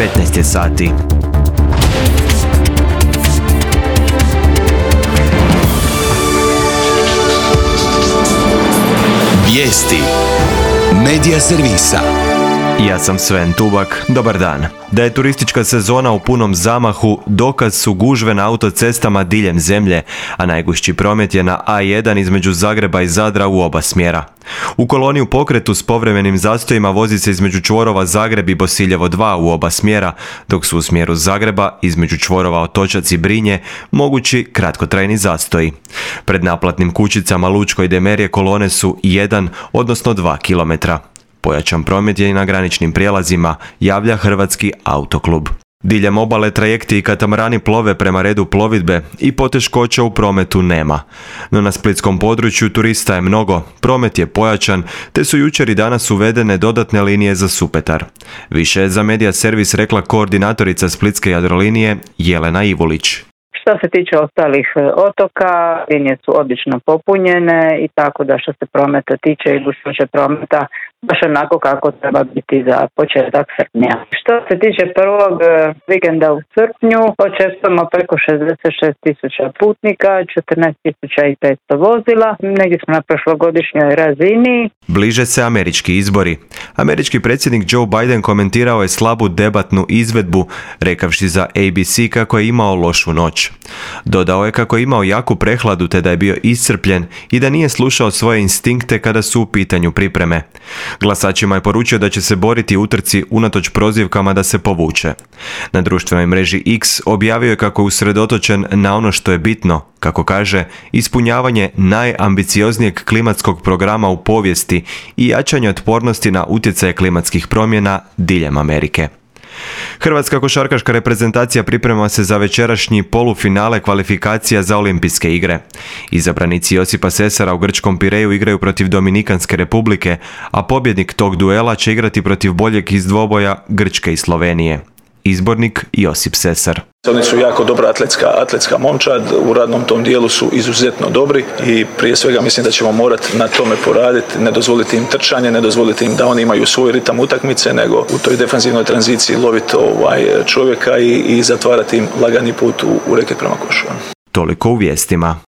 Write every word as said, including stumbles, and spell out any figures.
petnaest je sati. Vijesti Medija servisa. Ja sam Sven Tubak, dobar dan. Da je turistička sezona u punom zamahu, dokaz su gužve na autocestama diljem zemlje, a najgušći promet je na A jedan između Zagreba i Zadra u oba smjera. U koloni u pokretu s povremenim zastojima vozi se između čvorova Zagreb i Bosiljevo dva u oba smjera, dok su u smjeru Zagreba između čvorova Otočac i Brinje mogući kratkotrajni zastoji. Pred naplatnim kućicama Lučko i Demerje kolone su jedan, odnosno dva kilometra. Pojačan promet je i na graničnim prijelazima, javlja Hrvatski autoklub. Diljem obale trajekti i katamarani plove prema redu plovidbe i poteškoća u prometu nema. No na splitskom području turista je mnogo, promet je pojačan, te su jučer i danas uvedene dodatne linije za Supetar. Više je za Medija servis rekla koordinatorica Splitske Jadrolinije Jelena Ivulić. Što se tiče ostalih otoka, linije su obično popunjene i tako da što se prometa tiče i gustoće prometa baš onako kako treba biti za početak srpnja. Što se tiče prvog vikenda u srpnju, očekujemo preko šezdeset šest tisuća putnika, četrnaest tisuća petsto vozila, negdje smo na prošlogodišnjoj razini. Bliže se američki izbori. Američki predsjednik Joe Biden komentirao je slabu debatnu izvedbu, rekavši za A B C kako je imao lošu noć. Dodao je kako je imao jaku prehladu te da je bio iscrpljen i da nije slušao svoje instinkte kada su u pitanju pripreme. Glasačima je poručio da će se boriti u utrci unatoč prozivkama da se povuče. Na društvenoj mreži X objavio je kako je usredotočen na ono što je bitno, kako kaže, ispunjavanje najambicioznijeg klimatskog programa u povijesti i jačanje otpornosti na utjecaje klimatskih promjena diljem Amerike. Hrvatska košarkaška reprezentacija priprema se za večerašnji polufinale kvalifikacija za olimpijske igre. Izabranici Josipa Sesara u grčkom Pireju igraju protiv Dominikanske republike, a pobjednik tog duela će igrati protiv boljeg iz dvoboja Grčke i Slovenije. Izbornik Josip Sesar. Oni su jako dobra atletska, atletska momčad, u radnom tom dijelu su izuzetno dobri i prije svega mislim da ćemo morati na tome poraditi, ne dozvoliti im trčanje, ne dozvoliti im da oni imaju svoj ritam utakmice, nego u toj defanzivnoj tranziciji loviti ovaj čovjeka i, i zatvarati im lagani put u, u reket prema košu. Toliko u vijestima.